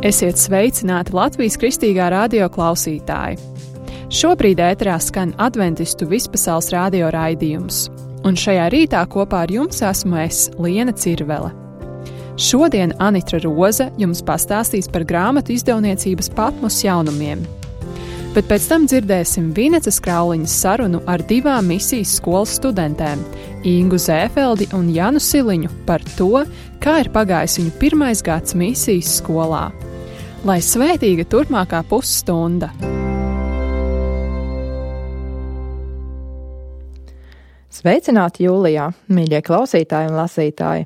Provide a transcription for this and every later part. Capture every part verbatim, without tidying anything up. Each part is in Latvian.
Esiet sveicināti Latvijas Kristīgā radio klausītāji! Šobrīd ēterā skan adventistu vispasaules radio raidījums, un šajā rītā kopā ar jums esmu es, Liena Cirvele. Šodien Anitra Roze jums pastāstīs par grāmatu izdevniecības Patmos jaunumiem, bet pēc tam dzirdēsim Vinecas Krauliņas sarunu ar divām misijas skolas studentēm, Ingu Zēfeldi un Janu Siliņu, par to, kā ir pagājis viņu pirmais gads misijas skolā. Lai svētīga turpmākā pusstunda! Sveicināti jūlijā, mīļie klausītāji un lasītāji!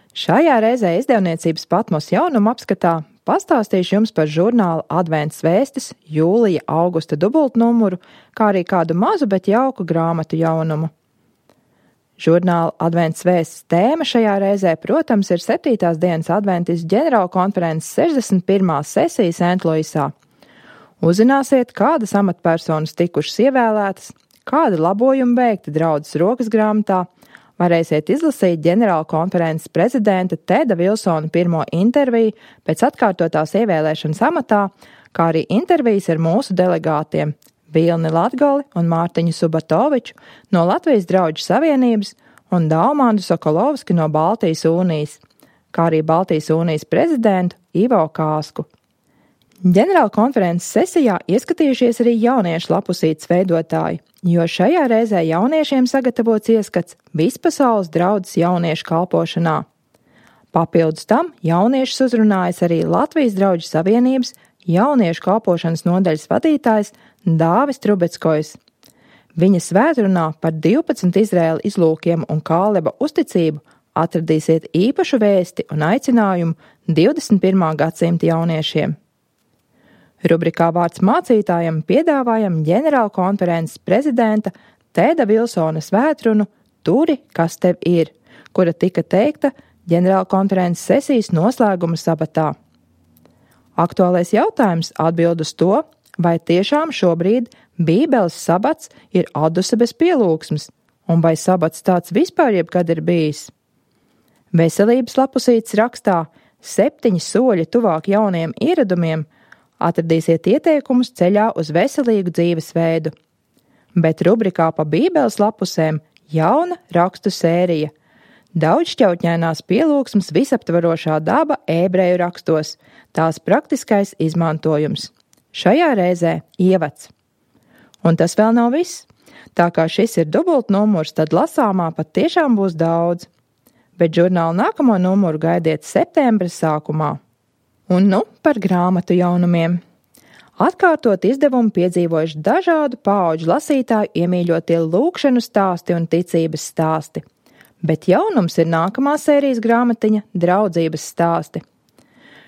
Šajā reizē izdevniecības Patmos jaunumu apskatā pastāstīšu jums par žurnāla Advents vēstis jūlija-augusta dubultnumuru, kā arī kādu mazu, bet jauku grāmatu jaunumu. Žurnāla Advents vēstis tēma šajā reizē, protams, ir septītās dienas adventis ģenerālkonferences sešdesmit pirmās sesijas Sentluisā. Uzzināsiet, kādas amatpersonas tikušas ievēlētas, kādi labojumi veikti draudzes rokas grāmatā, varēsiet izlasīt ģenerālkonferences prezidenta Teda Vilsona pirmo interviju pēc atkārtotās ievēlēšanas amatā, kā arī intervijas ar mūsu delegātiem Vilni Latgali un Mārtiņu Subatoviču no Latvijas Drauģu savienības un Daumandu Sokolovski no Baltijas Unijas, kā arī Baltijas Unijas prezidentu Ivo Kāsku. Ģenerālkonferences sesijā ieskatījušies arī jauniešu lapusītes veidotāji, jo šajā reizē jauniešiem sagatavots ieskats vispasaules draudzes jauniešu kalpošanā. Papildus tam jauniešus uzrunājas arī Latvijas Drauģu savienības jauniešu kalpošanas nodaļas vadītājs Dāvis Trubeckojs. Viņa svētrunā par divpadsmit Izraēla izlūkiem un Kāleba uzticību atradīsiet īpašu vēsti un aicinājumu divdesmit pirmā gadsimta jauniešiem. Rubrikā Vārds mācītājam piedāvājam ģenerālkonferences prezidenta Teda Vilsona svētrunu Turi, kas tev ir, kura tika teikta ģenerālkonferences sesijas noslēguma sabatā. Aktuālais jautājums atbild uz to, vai tiešām šobrīd Bībeles sabats ir aduse bez pielūgsmes, un vai sabats tāds vispār jebkad ir bijis. Veselības lapusītes rakstā septiņi soļi tuvāk jauniem ieradumiem atradīsiet ieteikumus ceļā uz veselīgu dzīvesveidu. Bet rubrikā pa Bībeles lapusēm jauna rakstu sērija. Daudzšķautņainās pielūgsmes visaptvarošā daba ebreju rakstos, tās praktiskais izmantojums. Šajā reizē ievads. Un tas vēl nav viss. Tā kā šis ir dubultnumurs, tad lasāmā pat tiešām būs daudz. Bet žurnāla nākamo numuru gaidiet septembra sākumā. Un nu par grāmatu jaunumiem. Atkārtot izdevumu piedzīvojuši dažādu paudžu lasītāju iemīļotie lūkšanu stāsti un ticības stāsti. Bet jaunums ir nākamā sērijas grāmatiņa draudzības stāsti.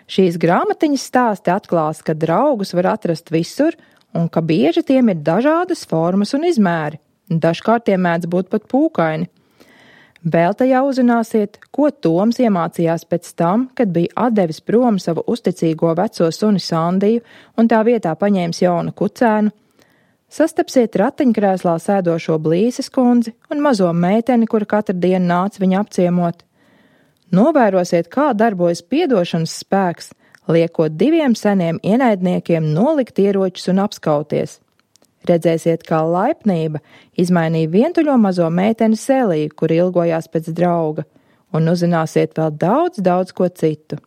Šīs grāmatiņas stāsti atklās, ka draugus var atrast visur un ka bieži tiem ir dažādas formas un izmēri. Dažkārt tie mēdz būt pat pūkaini. Vēl tajā uzzināsiet, ko Toms iemācījās pēc tam, kad bija atdevis prom savu uzticīgo veco suni Sandiju un tā vietā paņēmis jaunu kucēnu. Sastapsiet ratiņkrēslā sēdošo Blīses kundzi un mazo meiteni, kura katru dienu nāca viņu apciemot. Novērosiet, kā darbojas piedošanas spēks, liekot diviem seniem ienaidniekiem nolikt ieročus un apskauties. Redzēsiet, kā laipnība izmainīja vientuļo mazo meiteni Seliju, kur ilgojās pēc drauga, un uzzināsiet vēl daudz, daudz ko citu.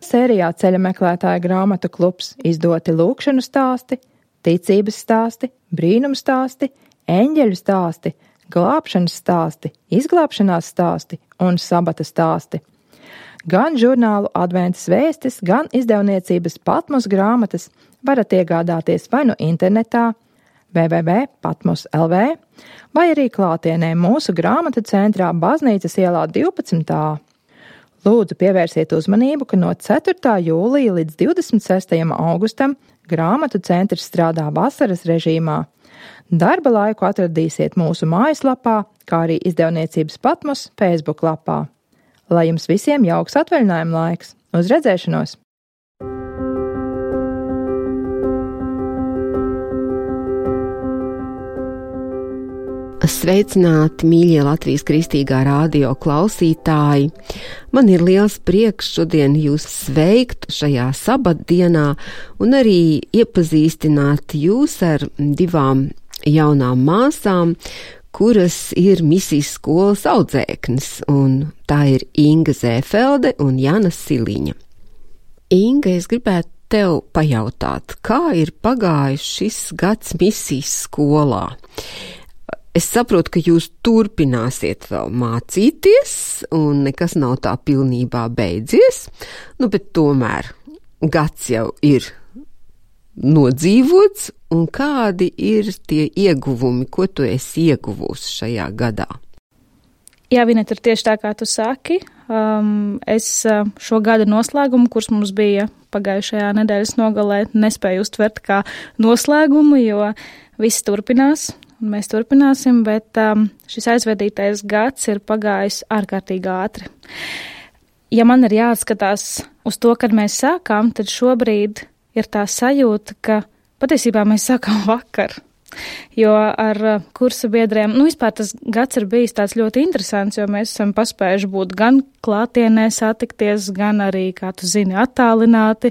Sērijā Ceļa meklētāja grāmatu klubs izdoti lūkšanu stāsti, ticības stāsti, brīnumu stāsti, eņģeļu stāsti, glābšanas stāsti, izglābšanās stāsti un sabata stāsti. Gan žurnālu Adventas vēstis, gan izdevniecības Patmos grāmatas varat iegādāties vai nu internetā w w w punkt patmos punkt l v vai arī klātienē mūsu grāmatu centrā Baznīcas ielā divpadsmit A. Lūdzu pievērsiet uzmanību, ka no ceturtā jūlija līdz divdesmit sestajam augustam grāmatu centrs strādā vasaras režīmā. Darba laiku atradīsiet mūsu mājaslapā, kā arī izdevniecības Patmos Facebook lapā. Lai jums visiem jauks atvaļinājuma laiks! Uz redzēšanos! Sveicināti, mīļie Latvijas Kristīgā radio klausītāji! Man ir liels prieks šodien jūs sveikt šajā sabatdienā un arī iepazīstināt jūs ar divām jaunām māsām, kuras ir misijas skolas audzēknes, un tā ir Inga Zēfelde un Jana Siliņa. Inga, es gribētu tev pajautāt, kā ir pagājis šis gads misijas skolā? Es saprotu, ka jūs turpināsiet vēl mācīties, un nekas nav tā pilnībā beidzies, nu, bet tomēr gads jau ir nodzīvots, un kādi ir tie ieguvumi, ko tu esi ieguvusi šajā gadā? Jā, Vineta, ir tieši tā, kā tu saki. Um, es šo gada noslēgumu, kurš mums bija pagājušajā nedēļas nogalē, nespēju uztvert kā noslēgumu, jo viss turpinās. Mēs turpināsim, bet um, šis aizvadītais gads ir pagājis ārkārtīgi ātri. Ja man ir jāatskatās uz to, kad mēs sākām, tad šobrīd ir tā sajūta, ka patiesībā mēs sākām vakar. Jo ar kursa biedriem, nu vispār tas gads ir bijis tāds ļoti interesants, jo mēs esam paspējuši būt gan klātienē satikties, gan arī, kā tu zini, attālināti.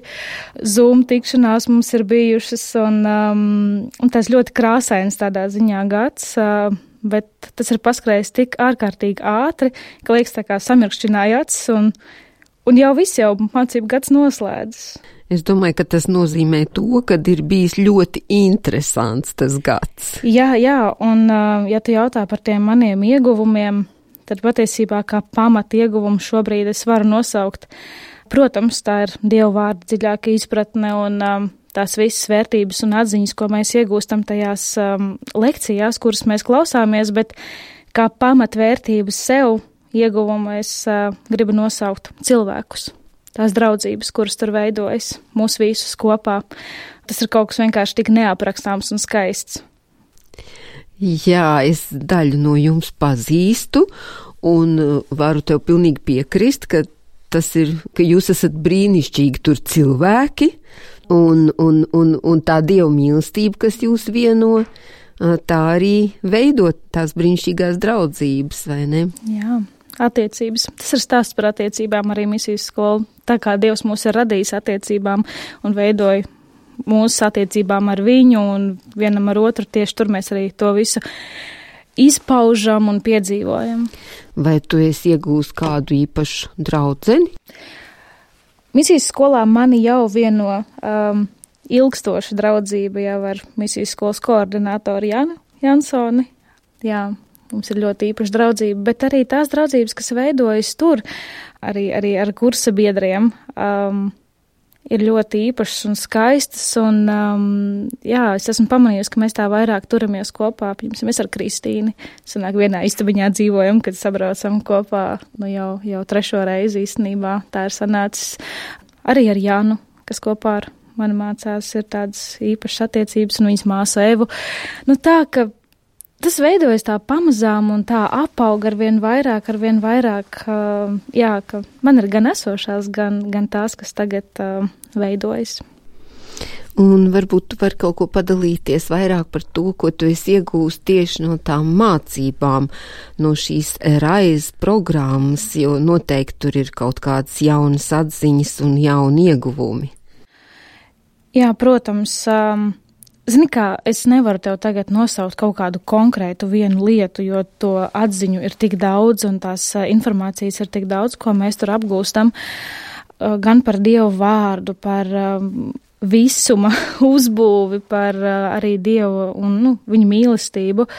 Zoom tikšanās mums ir bijušas, un, um, un tas ļoti krāsains tādā ziņā gads, uh, bet tas ir paskrējis tik ārkārtīgi ātri, ka liekas tā kā samirkšķināja acis, un, un jau viss jau mācību gads noslēdzas. Es domāju, ka tas nozīmē to, ka ir bijis ļoti interesants tas gads. Jā, jā, un ja tu jautā par tiem maniem ieguvumiem, tad patiesībā kā pamat ieguvumu šobrīd es varu nosaukt. Protams, tā ir Dievu vārda dziļāka izpratne un um, tās visas vērtības un atziņas, ko mēs iegūstam tajās um, lekcijās, kuras mēs klausāmies, bet kā pamatvērtības sev ieguvumu es uh, gribu nosaukt cilvēkus. Tās draudzības, kuras tur veidojas, mūs visus kopā. Tas ir kaut kas vienkārši tik neaprakstāms un skaists. Jā, es daļu no jums pazīstu un varu tev pilnīgi piekrist, ka tas ir, ka jūs esat brīnišķīgi tur cilvēki un, un, un, un tā Dieva mīlestība, kas jūs vieno, tā arī veidot tās brīnišķīgās draudzības, vai ne? Jā. Attiecības. Tas ir stāsts par attiecībām arī misijas skolu. Tā kā Dievs mūs ir radījis attiecībām un veidoja mūsu attiecībām ar viņu un vienam ar otru, tieši tur mēs arī to visu izpaužam un piedzīvojam. Vai tu esi iegūst kādu īpašu draudzeni? Misijas skolā mani jau vieno um, ilgstoša draudzība jau ar misijas skolas koordinātoru Janu Jansoni. Jā. Mums ir ļoti īpaša draudzība, bet arī tās draudzības, kas veidojas tur, arī, arī ar kursa biedriem, um, ir ļoti īpašas un skaistas. Un, um, jā, es esmu pamanījusi, ka mēs tā vairāk turamies kopā. Piemēram, mēs ar Kristīni sanāk vienā istabiņā dzīvojam, kad sabraucam kopā nu jau, jau trešo reizi īstenībā. Tā ir sanācis arī ar Jānu, kas kopā ar mani mācās, ir tādas īpašas attiecības, un viņas māsu Evu. Nu tā, ka tas veidojas tā pamazām un tā apauga ar vien vairāk, ar vien vairāk, uh, jā, ka man ir gan esošās, gan, gan tās, kas tagad uh, veidojas. Un varbūt tu vari kaut ko padalīties vairāk par to, ko tu esi iegūst tieši no tām mācībām, no šīs raizes programmas, jo noteikti tur ir kaut kādas jaunas atziņas un jauni ieguvumi. Jā, protams, um, Zini kā, es nevaru tev tagad nosaukt kaut kādu konkrētu vienu lietu, jo to atziņu ir tik daudz un tās informācijas ir tik daudz, ko mēs tur apgūstam, gan par Dievu vārdu, par visuma uzbūvi, par arī Dievu un nu, viņa mīlestību.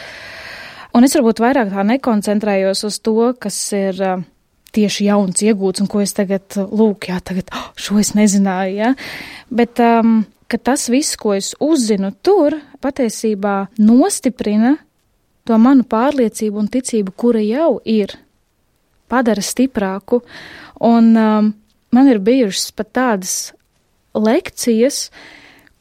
Un es varbūt vairāk tā nekoncentrējos uz to, kas ir tieši jauns iegūts un ko es tagad, lūk, jā, tagad, oh, šo es nezināju, jā, bet um, ka tas viss, ko es uzzinu tur, patiesībā nostiprina to manu pārliecību un ticību, kura jau ir, padara stiprāku. Un um, man ir bijušas pat tādas lekcijas,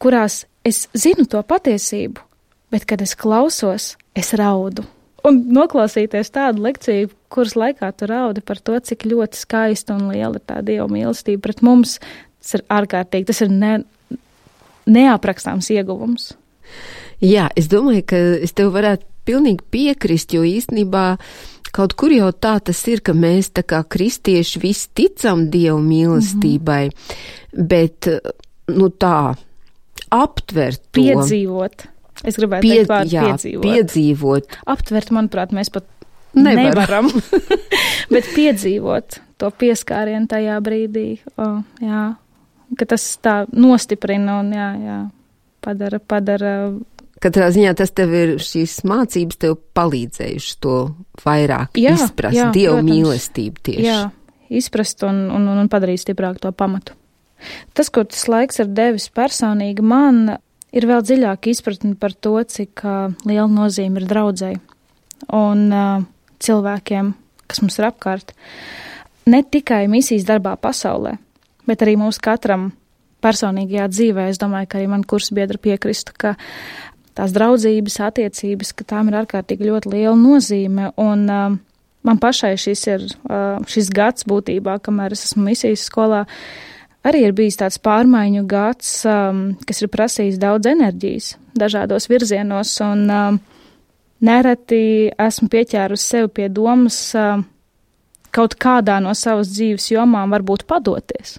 kurās es zinu to patiesību, bet, kad es klausos, es raudu. Un noklausīties tādu lekciju, kuras laikā tu raudi par to, cik ļoti skaista un liela ir tā Dieva mīlestība pret mums, tas ir ārkārtīgi, tas ir ne, neaprakstāms ieguvums. Jā, es domāju, ka es tev varētu pilnīgi piekrist, jo īstenībā kaut kur jau tā tas ir, ka mēs tā kā kristieši visi ticam Dievu mīlestībai, mm-hmm. bet, nu tā, aptvert to. Piedzīvot. Es gribētu Pie, teikt vārdu jā, piedzīvot. piedzīvot. Aptvert, manuprāt, mēs pat Nevaram. nevaram, bet piedzīvot to pieskārienu tajā brīdī, o, jā, ka tas tā nostiprina un, jā, jā, padara, padara. Katrā ziņā tas tev ir, šīs mācības tev palīdzējuši to vairāk jā, izprast, jā, Dievu protams, mīlestību tieši. Jā, izprast un, un, un padarīt stiprāk to pamatu. Tas, ko tas laiks ir devis personīgi, man ir vēl dziļāka izpratne par to, cik uh, liela nozīme ir draudzei un uh, cilvēkiem, kas mums ir apkārt. Ne tikai misijas darbā pasaulē, bet arī mums katram personīgajā dzīvē. Es domāju, ka arī man kursbiedri piekristu, ka tās draudzības, attiecības, ka tām ir ārkārtīgi ļoti liela nozīme. Un uh, man pašai šis ir uh, šis gads būtībā, kamēr es esmu misijas skolā, arī ir bijis tāds pārmaiņu gads, um, kas ir prasījis daudz enerģijas dažādos virzienos, un um, nereti esmu pieķērusi sevi pie domas um, kaut kādā no savas dzīves jomām varbūt padoties.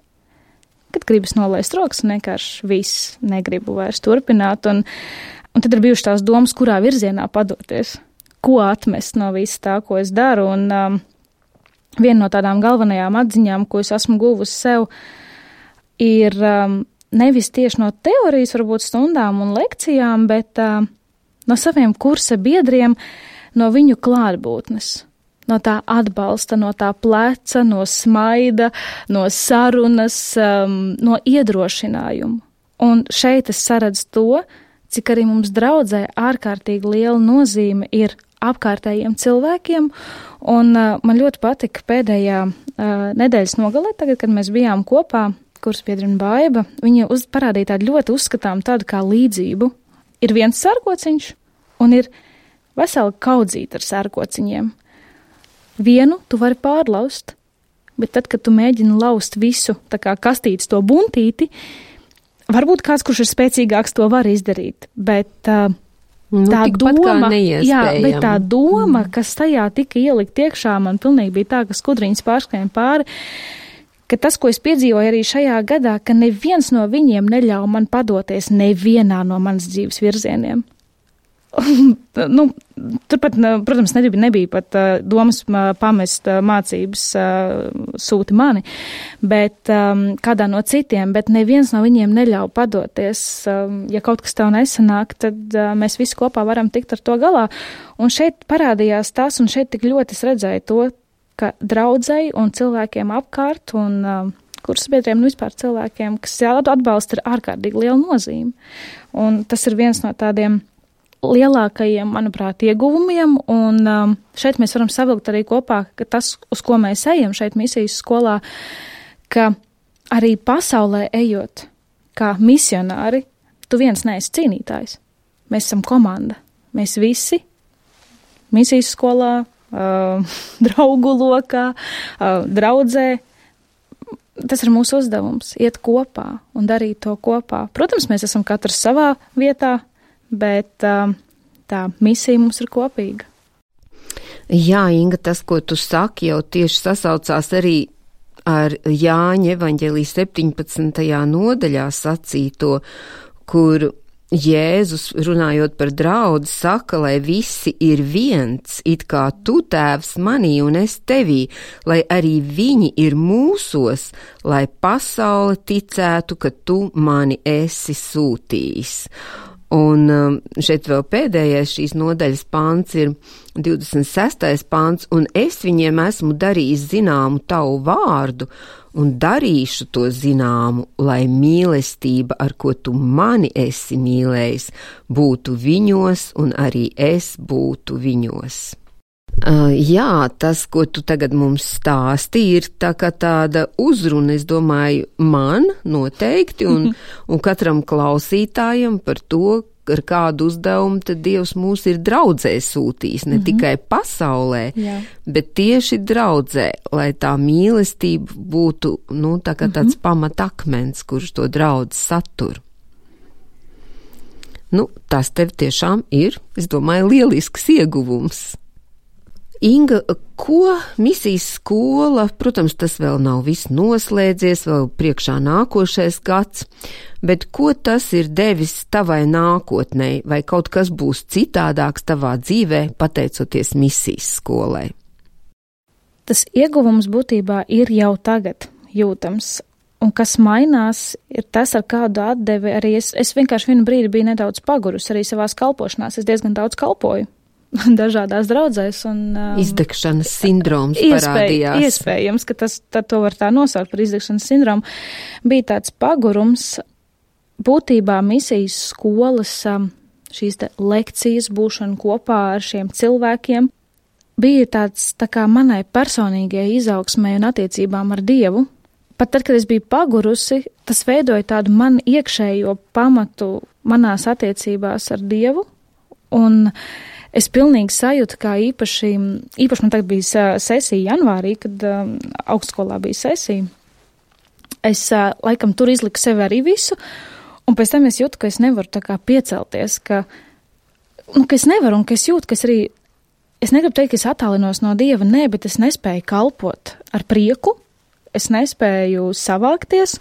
Kad gribas nolaist rokas un vienkārši viss negribu vairs turpināt, un, un tad ir bijušas tās domas, kurā virzienā padoties, ko atmest no viss tā, ko es daru, un um, viena no tādām galvenajām atziņām, ko es esmu guvusi sev, ir um, nevis tieši no teorijas, varbūt stundām un lekcijām, bet um, no saviem kursa biedriem, no viņu klātbūtnes, no tā atbalsta, no tā pleca, no smaida, no sarunas, um, no iedrošinājuma. Un šeit es saredzu to, cik arī mums draudzē ārkārtīgi liela nozīme ir apkārtējiem cilvēkiem, un uh, man ļoti patika pēdējā uh, nedēļas nogalē, tagad, kad mēs bijām kopā, kursbiedri un Baiba, viņa uz, parādīja tādu ļoti uzskatām tādu kā līdzību. Ir viens sērkociņš un ir vesela kaudzīta ar sērkociņiem. Vienu tu vari pārlaust, bet tad, kad tu mēģini laust visu, tā kā kastītes to buntīti, varbūt kāds, kurš ir spēcīgāks, to var izdarīt, bet uh, nu, tā doma, jā, bet tā doma, mm. kas tajā tika ielikt iekšā, man pilnīgi bija tā, ka skudriņas pārskrēja pāri, ka tas, ko es piedzīvoju arī šajā gadā, ka neviens no viņiem neļauj man padoties nevienā no manas dzīves virzieniem. nu, turpat, protams, nebija, nebija pat uh, domas uh, pamest uh, mācības uh, sūti mani, bet um, kādā no citiem, bet neviens no viņiem neļauj padoties. Um, ja kaut kas tev nesanāk, tad uh, mēs visi kopā varam tikt ar to galā. Un šeit parādījās tas, un šeit tik ļoti es redzēju to, ka draudzei un cilvēkiem apkārt un uh, kursbiedriem un vispār cilvēkiem, kas atbalsta, ir ārkārtīgi liela nozīme. Un tas ir viens no tādiem lielākajiem, manuprāt, ieguvumiem, un um, šeit mēs varam savilkt arī kopā, ka tas, uz ko mēs ejam šeit misijas skolā, ka arī pasaulē ejot kā misionāri, tu viens neesi cīnītājs. Mēs esam komanda. Mēs visi misijas skolā, Uh, draugu lokā, uh, draudzē. Tas ir mūsu uzdevums, iet kopā un darīt to kopā. Protams, mēs esam katrs savā vietā, bet uh, tā misija mums ir kopīga. Jā, Inga, tas, ko tu saki, jau tieši sasaucās arī ar Jāņa evaņģēlijas septiņpadsmitajā nodaļā sacīto, kur Jēzus, runājot par draudzi, saka, lai visi ir viens, it kā tu, Tēvs, manī un es tevī, lai arī viņi ir mūsos, lai pasaule ticētu, ka tu mani esi sūtījis. Un šeit vēl pēdējais šīs nodaļas pāns ir divdesmit sestais pāns, un es viņiem esmu darījis zināmu tavu vārdu, un darīšu to zināmu, lai mīlestība, ar ko tu mani esi mīlējis, būtu viņos, un arī es būtu viņos. Uh, jā, tas, ko tu tagad mums stāsti, ir tā kā tāda uzruna, es domāju, man noteikti, un, un katram klausītājam par to, ar kādu uzdevumu tad Dievs mūs ir draudzē sūtījis, ne mm-hmm. tikai pasaulē, Jā. bet tieši draudzē, lai tā mīlestība būtu, nu, tā kā tāds mm-hmm. pamatakmens, kurš to draudzi satur. Nu, tas tev tiešām ir, es domāju, lielisks ieguvums. Inga, ko misijas skola, protams, tas vēl nav viss noslēdzies, vēl priekšā nākošais gads, bet ko tas ir devis tavai nākotnei, vai kaut kas būs citādāks tavā dzīvē, pateicoties misijas skolai? Tas ieguvums būtībā ir jau tagad jūtams, un kas mainās, ir tas, ar kādu atdevi arī es, es vienkārši vienu brīdi biju nedaudz pagurus arī savās kalpošanās, es diezgan daudz kalpoju. Dažādās draudzēs un... Um, izdegšanas sindroms iespēj, parādījās. Iespējams, ka tas, tad to var tā nosaukt par izdegšanas sindromu. Bija tāds pagurums, būtībā misijas skolas šīs te lekcijas būšana kopā ar šiem cilvēkiem bija tāds tā kā manai personīgajai izaugsmai un attiecībām ar Dievu. Pat tad, kad es biju pagurusi, tas veidoja tādu man iekšējo pamatu manās attiecībās ar Dievu, un es pilnīgi sajūtu, kā īpaši, īpaši man tagad bija sesija janvārī, kad um, augstskolā bija sesija. Es uh, laikam tur izliku sevi arī visu, un pēc tam es jūtu, ka es nevaru tā kā piecelties, ka, nu, ka es nevaru, un ka es jūtu, ka es arī, es negribu teikt, ka es attālinos no Dieva, nē, bet es nespēju kalpot ar prieku, es nespēju savākties,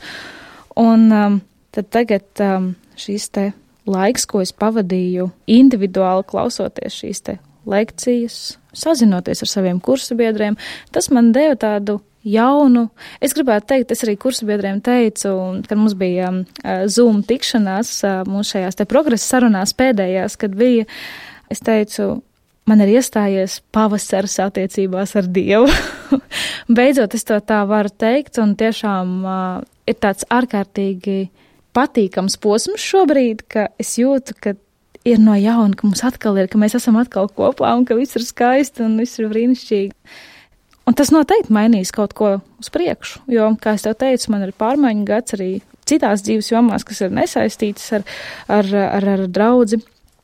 un um, tad tagad um, šīs te laiks, ko es pavadīju individuāli klausoties šīs te lekcijas, sazinoties ar saviem kursabiedriem, tas man deva tādu jaunu, es gribētu teikt, es arī kursabiedriem teicu, kad mums bija um, Zoom tikšanās, uh, mums šajās te progresa sarunās pēdējās, kad bija, es teicu, man ir iestājies pavasaris attiecībās ar Dievu. Beidzot, es to tā varu teikt, un tiešām uh, ir tāds ārkārtīgi patīkams posms šobrīd, ka es jūtu, ka ir no jauna, ka mums atkal ir, ka mēs esam atkal kopā un ka viss ir skaisti un viss ir brīnišķīgi. Un tas noteikti mainīs kaut ko uz priekšu, jo, kā es tev teicu, man ir pārmaiņu gads arī citās dzīves jomās, kas ir nesaistītas ar, ar, ar, ar draudzi.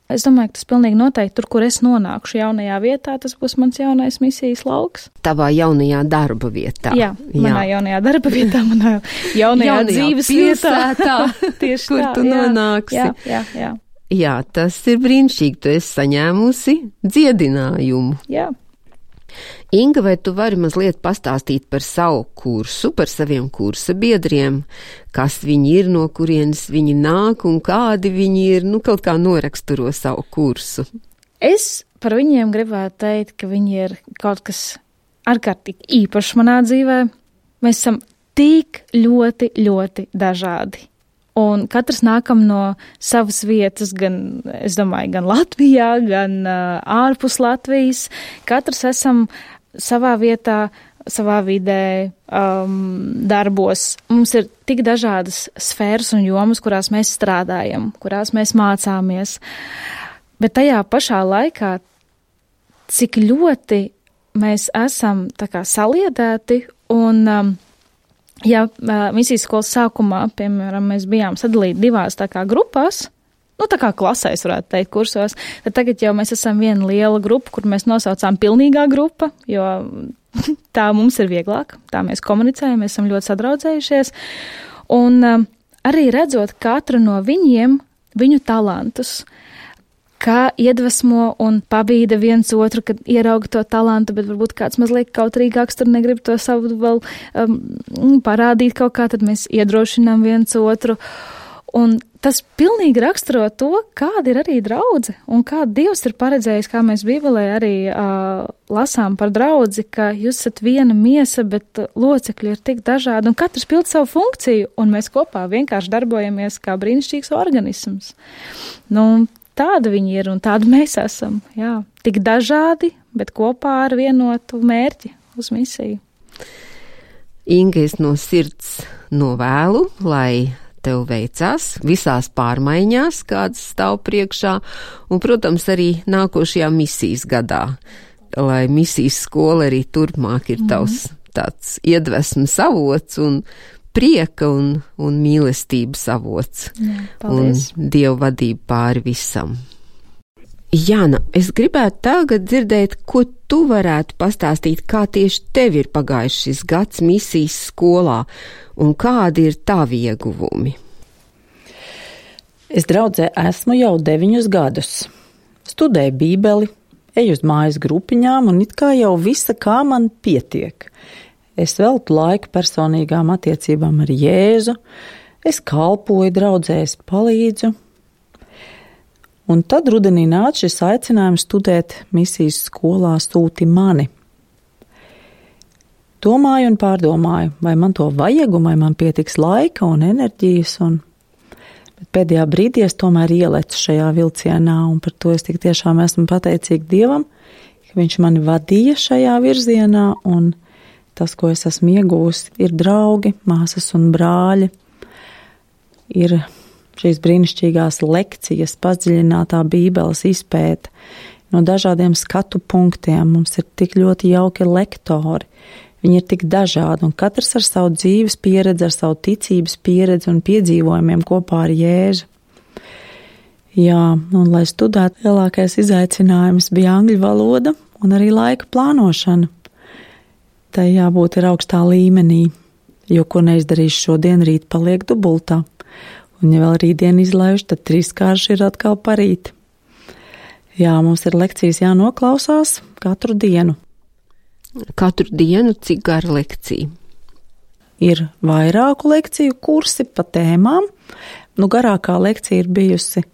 Es domāju, ka tas pilnīgi noteikti tur, kur es nonākšu jaunajā vietā, tas būs mans jaunais misijas lauks. Tavā jaunajā darba vietā. Jā, manā jā. jaunajā darba vietā, manā jaunajā, jaunajā dzīves vietā. Tieši kur tā, tu jā, nonāksi. Jā, jā, jā. Jā, tas ir brīnišķīgi, tu esi saņēmusi dziedinājumu. Jā. Inga, vai tu vari mazliet pastāstīt par savu kursu, par saviem kursa biedriem, kas viņi ir, no kurienes viņi nāk un kādi viņi ir, nu kaut kā noraksturo savu kursu? Es par viņiem gribētu teikt, ka viņi ir kaut kas ārkārtīgi īpašs manā dzīvē. Mēs esam tik ļoti, ļoti dažādi. Un katrs nākam no savas vietas, gan, es domāju, gan Latvijā, gan uh, ārpus Latvijas. Katrs esam savā vietā, savā vidē, um, darbos. Mums ir tik dažādas sfēras un jomas, kurās mēs strādājam, kurās mēs mācāmies. Bet tajā pašā laikā, cik ļoti mēs esam tā kā saliedēti un um, ja misijas skolas sākumā, piemēram, mēs bijām sadalīti divās tā kā grupās, nu tā kā klasēs varētu teikt kursos, tad tagad jau mēs esam viena liela grupa, kur mēs nosaucām pilnīgā grupa, jo tā mums ir vieglāk, tā mēs komunicējam, mēs esam ļoti sadraudzējušies, un um, arī redzot katru no viņiem, viņu talantus, kā iedvesmo un pabīda viens otru, kad ierauga to talantu, bet varbūt kāds mazliet kautrīgāks tur negrib to savu vēl um, parādīt kaut kā, tad mēs iedrošinām viens otru. Un tas pilnīgi raksturo to, kāda ir arī draudze un kā Dievs ir paredzējis, kā mēs Bībelē arī uh, lasām par draudzi, ka jūs esat viena miesa, bet locekļi ir tik dažādi un katrs pild savu funkciju un mēs kopā vienkārši darbojamies kā brīnišķīgs organisms. Nu, tāda viņi ir un tāda mēs esam, jā, tik dažādi, bet kopā ar vienotu mērķi uz misiju. Inga, es no sirds novēlu, lai tev veicās visās pārmaiņās, kādas stāv priekšā, un, protams, arī nākošajā misijas gadā, lai misijas skola arī turpmāk ir tavs mm-hmm. tāds iedvesmas avots un prieka un, un mīlestības avots. Jā, paldies. Un Dieva vadība pāri visam. Jāna, es gribētu tagad dzirdēt, ko tu varētu pastāstīt, kā tieši tev ir pagājis šis gads misijas skolā un kādi ir tavi ieguvumi? Es draudzē esmu jau deviņus gadus. Studēju bībeli, eju uz mājas grupiņām un it kā jau visa kā man pietiek. Es veltu laiku personīgām attiecībām ar Jēzu, es kalpoju draudzē, es palīdzu. Un tad rudenī nāca šis aicinājums studēt misijas skolā Sūti mani. Domāju un pārdomāju, vai man to vajag un vai man pietiks laika un enerģijas un bet pēdējā brīdī es tomēr ielecu šajā vilcienā, un par to es tik tiešām esmu pateicīga Dievam, ka Viņš mani vadīja šajā virzienā, un tas, ko es esmu iegūsi, ir draugi, māsas un brāļi, ir šīs brīnišķīgās lekcijas, padziļinātā Bībeles izpēta no dažādiem skatu punktiem. Mums ir tik ļoti jauki lektori. Viņi ir tik dažādi, un katrs ar savu dzīves pieredzi, ar savu ticības pieredzi un piedzīvojumiem kopā ar Jēzu. Jā, un lai studētu, lielākais izaicinājums bija angļu valoda un arī laika plānošana. Tai jābūt ir augstā līmenī, jo ko neizdarīšu šodien, rīt paliek dubultā. Un ja vēl rītdien izlaižu, tad trīskārši ir atkal parīt. Jā, mums ir lekcijas jānoklausās katru dienu. Katru dienu cik gara lekcija? Ir vairāku lekciju kursi pa tēmām. Nu, garākā lekcija ir bijusi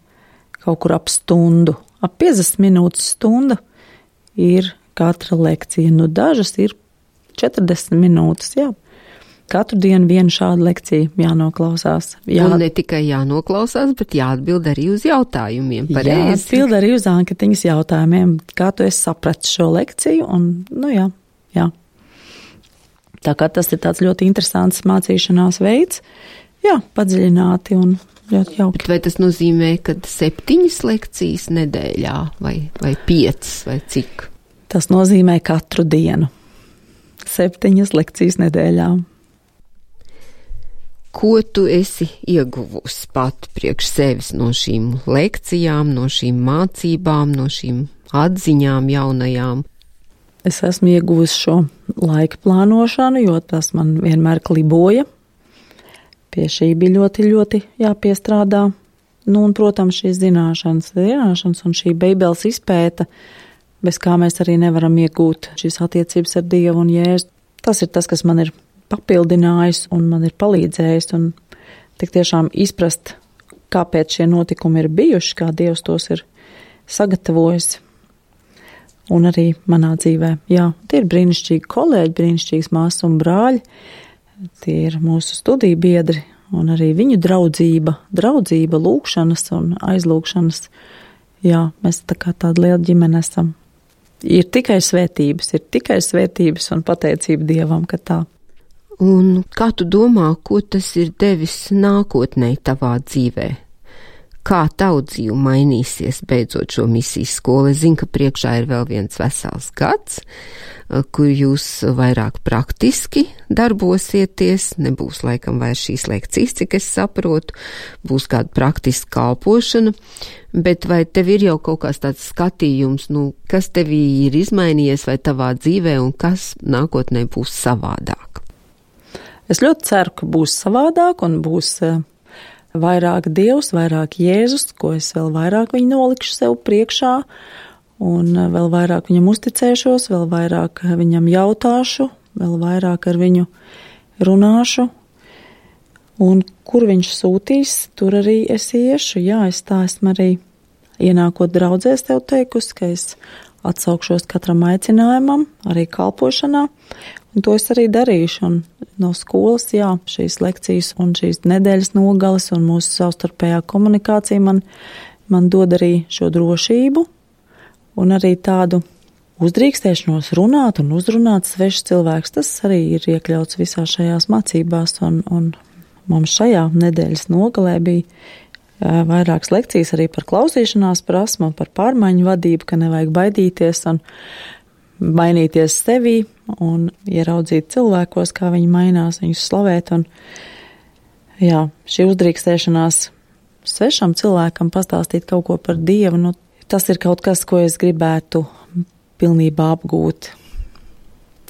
kaut kur ap stundu. Ap piecdesmit minūtes stunda ir katra lekcija. Nu, dažas ir četrdesmit minūtes, jā. Katru dienu vienu šādu lekciju jānoklausās. Jā. Un ne tikai jānoklausās, bet jāatbild arī uz jautājumiem. Pareizi. Jāatbild arī uz anketiņas jautājumiem, kā tu esi sapratis šo lekciju, un, nu jā, jā. Tā kā tas ir tāds ļoti interesants mācīšanās veids, jā, padziļināti un ļoti jauki. Bet vai tas nozīmē, ka septiņas lekcijas nedēļā, vai, vai piecas, vai cik? Tas nozīmē katru dienu. Septiņas lekcijas nedēļā. Ko tu esi ieguvusi pati priekš sevis no šīm lekcijām, no šīm mācībām, no šīm atziņām jaunajām? Es esmu ieguvusi šo laika plānošanu, jo tas man vienmēr kliboja. Pie šī bija ļoti, ļoti jāpiestrādā. Nu, un, protams, šīs zināšanas, zināšanas un šī Bībeles izpēta, bez kā mēs arī nevaram iegūt šīs attiecības ar Dievu un Jēzu. Tas ir tas, kas man ir papildinājis un man ir palīdzējis un tik tiešām izprast, kāpēc šie notikumi ir bijuši, kā Dievs tos ir sagatavojis. Un arī manā dzīvē. Jā, tie ir brīnišķīgi kolēģi, brīnišķīgas māsas un brāļi. Tie ir mūsu studiju biedri un arī viņu draudzība, draudzība, lūkšanas un aizlūkšanas. Jā, mēs tā kā tāda liela ģimene esam. Ir tikai svētības, ir tikai svētības un pateicība Dievam, ka tā. Un kā tu domā, ko tas ir devis nākotnē tavā dzīvē? Kā tavu dzīve mainīsies beidzot šo misijas skolu? Es zinu, ka priekšā ir vēl viens vesels gads, kur jūs vairāk praktiski darbosieties, nebūs laikam vairs šīs lekcijas, cik es saprotu, būs kāda praktiska kalpošana, bet vai tev ir jau kaut kāds tāds skatījums, nu, kas tevī ir izmainījies vai tavā dzīvē un kas nākotnē būs savādāk? Es ļoti ceru, ka būs savādāk un būs vairāk Dievs, vairāk Jēzus, ko es vēl vairāk viņu nolikšu sev priekšā un vēl vairāk viņam uzticēšos, vēl vairāk viņam jautāšu, vēl vairāk ar viņu runāšu. Un kur viņš sūtīs, tur arī es iešu. Jā, es tā esmu arī ienākot draudzēs tev teikusi, ka es atsaukšos katram aicinājumam, arī kalpošanā. Un to es arī darīšu. Un no skolas, jā, šīs lekcijas un šīs nedēļas nogales un mūsu savstarpējā komunikācija man, man dod arī šo drošību un arī tādu uzdrīkstēšanos runāt un uzrunāt svešs cilvēks. Tas arī ir iekļauts visā šajās mācībās un, un mums šajā nedēļas nogalē bija vairākas lekcijas arī par klausīšanās prasmu, par pārmaiņu vadību, ka nevajag baidīties un mainīties sevī un ieraudzīt cilvēkos, kā viņi mainās, viņus slavēt. Un, jā, šī uzdrīkstēšanās svešam cilvēkam pastāstīt kaut ko par Dievu, nu, tas ir kaut kas, ko es gribētu pilnībā apgūt.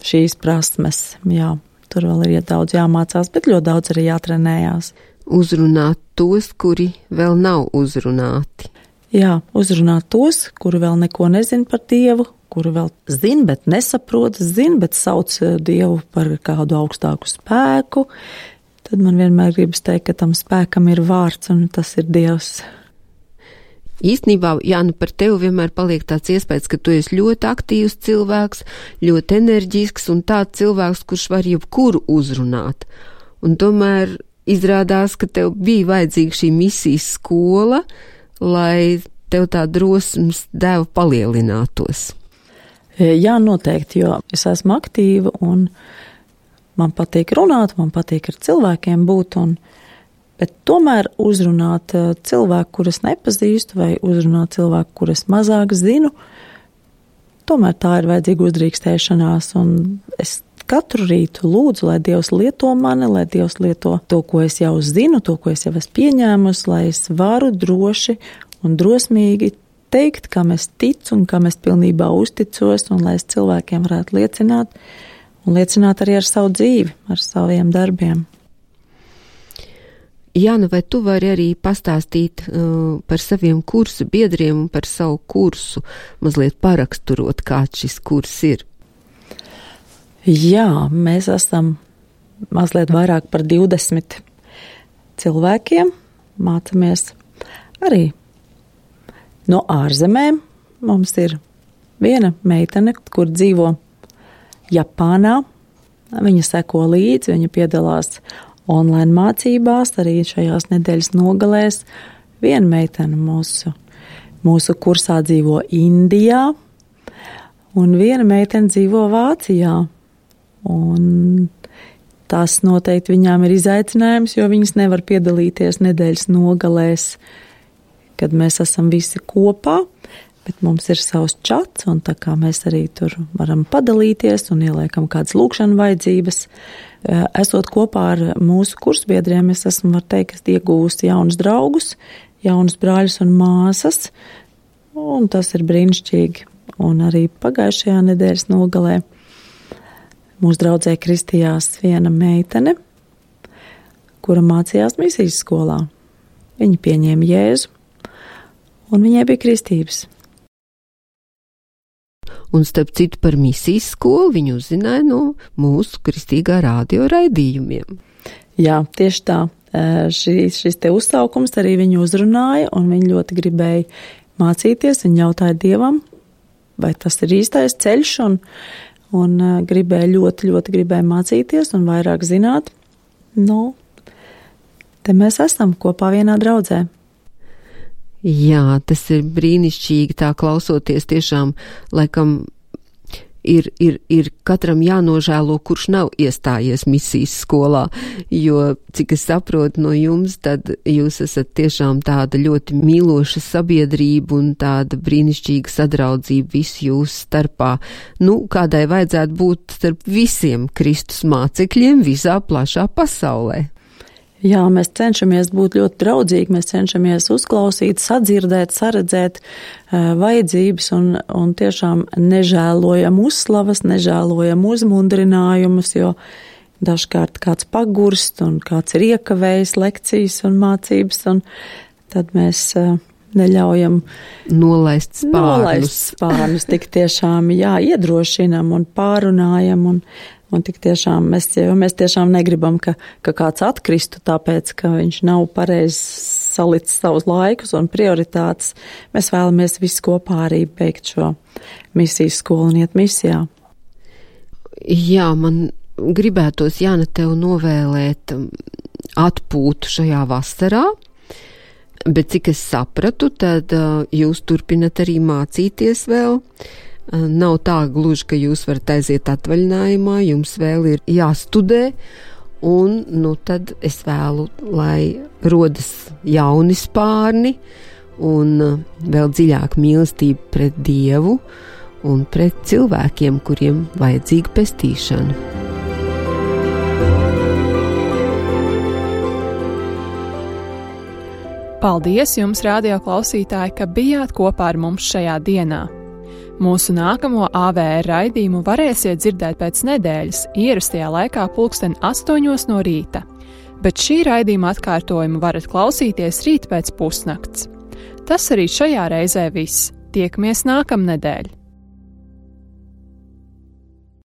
Šīs prasmes, jā, tur vēl ir daudz jāmācās, bet ļoti daudz arī jātrenējās. uzrunāt tos, kuri vēl nav uzrunāti. Jā, uzrunāt tos, kuri vēl neko nezin par Dievu, kuri vēl zin, bet nesaprot, zin, bet sauc Dievu par kādu augstāku spēku. Tad man vienmēr gribas teikt, ka tam spēkam ir vārds, un tas ir Dievs. Īstenībā, Jāna, par tevi vienmēr paliek tāds iespējas, ka tu esi ļoti aktīvs cilvēks, ļoti enerģisks un tāds cilvēks, kurš var jebkuru uzrunāt. Un tomēr izrādās, ka tev bija vajadzīga šī misijas skola, lai tev tā drosmes deva palielinātos. Jā, noteikti, jo es esmu aktīva un man patīk runāt, man patīk ar cilvēkiem būt, un, bet tomēr uzrunāt cilvēku, kuras nepazīstu, vai uzrunāt cilvēku, kuras mazāk zinu, tomēr tā ir vajadzīga uzdrīkstēšanās, un es katru rītu lūdzu, lai Dievs lieto mani, lai Dievs lieto to, ko es jau zinu, to, ko es jau esmu pieņēmusi, lai es varu droši un drosmīgi teikt, kam es ticu un kam es pilnībā uzticos, un lai es cilvēkiem varētu liecināt, un liecināt arī ar savu dzīvi, ar saviem darbiem. Jāna, vai tu vari arī pastāstīt uh, par saviem kursu biedriem un par savu kursu, mazliet paraksturot, kāds šis kurs ir? Jā, mēs esam mazliet vairāk par divdesmit cilvēkiem, mācamies arī no ārzemēm. Mums ir viena meitene, kur dzīvo Japānā. Viņa seko līdzi, viņa piedalās online mācībās, arī šajās nedēļas nogalēs. Viena meitene mūsu, mūsu kursā dzīvo Indijā, un viena meitene dzīvo Vācijā. Un tas noteikti viņām ir izaicinājums, jo viņas nevar piedalīties nedēļas nogalēs, kad mēs esam visi kopā, bet mums ir savs čats, un tā kā mēs arī tur varam padalīties un ieliekam kādas lūkšana vajadzības. Esot kopā ar mūsu kursbiedriem, es esmu, var teikt, iegūsti jaunus draugus, jaunus brāļus un māsas, un tas ir brīnišķīgi. Un arī pagājušajā nedēļas nogalē mūsu draudzē kristījās viena meitene, kura mācījās misijas skolā. Viņa pieņēma Jēzu, un viņai bija kristības. Un starp citu par misijas skolu viņu uzzināja no mūsu kristīgā radio raidījumiem. Jā, tieši tā. Šis, šis te uzsaukums arī viņu uzrunāja, un viņa ļoti gribēja mācīties. Viņa jautāja Dievam, vai tas ir īstais ceļš, un, un gribēja ļoti, ļoti gribēja mācīties un vairāk zināt. Nu, te mēs esam kopā vienā draudzē. Jā, tas ir brīnišķīgi tā klausoties, tiešām laikam ir, ir, ir katram jānožēlo, kurš nav iestājies misijas skolā, jo, cik es saprotu no jums, tad jūs esat tiešām tāda ļoti mīloša sabiedrība un tāda brīnišķīga sadraudzība visu jūsu starpā. Nu, kādai vajadzētu būt starp visiem Kristus mācekļiem visā plašā pasaulē. Jā, mēs cenšamies būt ļoti draudzīgi, mēs cenšamies uzklausīt, sadzirdēt, saredzēt uh, vajadzības un, un tiešām nežēlojam uzslavas, nežēlojam uzmundrinājumus, jo dažkārt kāds pagurst un kāds ir iekavējis lekcijas un mācības, un tad mēs uh, neļaujam nolaist spārnus. Nolaist spārnus, tik tiešām, jā, iedrošinam un pārunājam un Un tik tiešām mēs, mēs tiešām negribam, ka, ka kāds atkristu, tāpēc, ka viņš nav pareizi salicis savus laikus un prioritātes. Mēs vēlamies visi kopā arī beigt šo misijas skolu un iet misijā. Jā, man gribētos, Jāna, tev novēlēt atpūtu šajā vasarā, bet cik es sapratu, tad jūs turpinat arī mācīties vēl. Nav tā gluži, ka jūs varat aiziet atvaļinājumā, jums vēl ir jāstudē, un nu tad es vēlu, lai rodas jauni spārni un vēl dziļāk mīlestība pret Dievu un pret cilvēkiem, kuriem vajadzīga pestīšana. Paldies jums, radio klausītāji, ka bijāt kopā ar mums šajā dienā. Mūsu nākamo A V R raidījumu varēsiet dzirdēt pēc nedēļas ierastajā laikā pulksten astoņos no rīta, bet šī raidījuma atkārtojumu varat klausīties rīt pēc pusnakts. Tas arī šajā reizē viss. Tiekamies nākamnedēļ!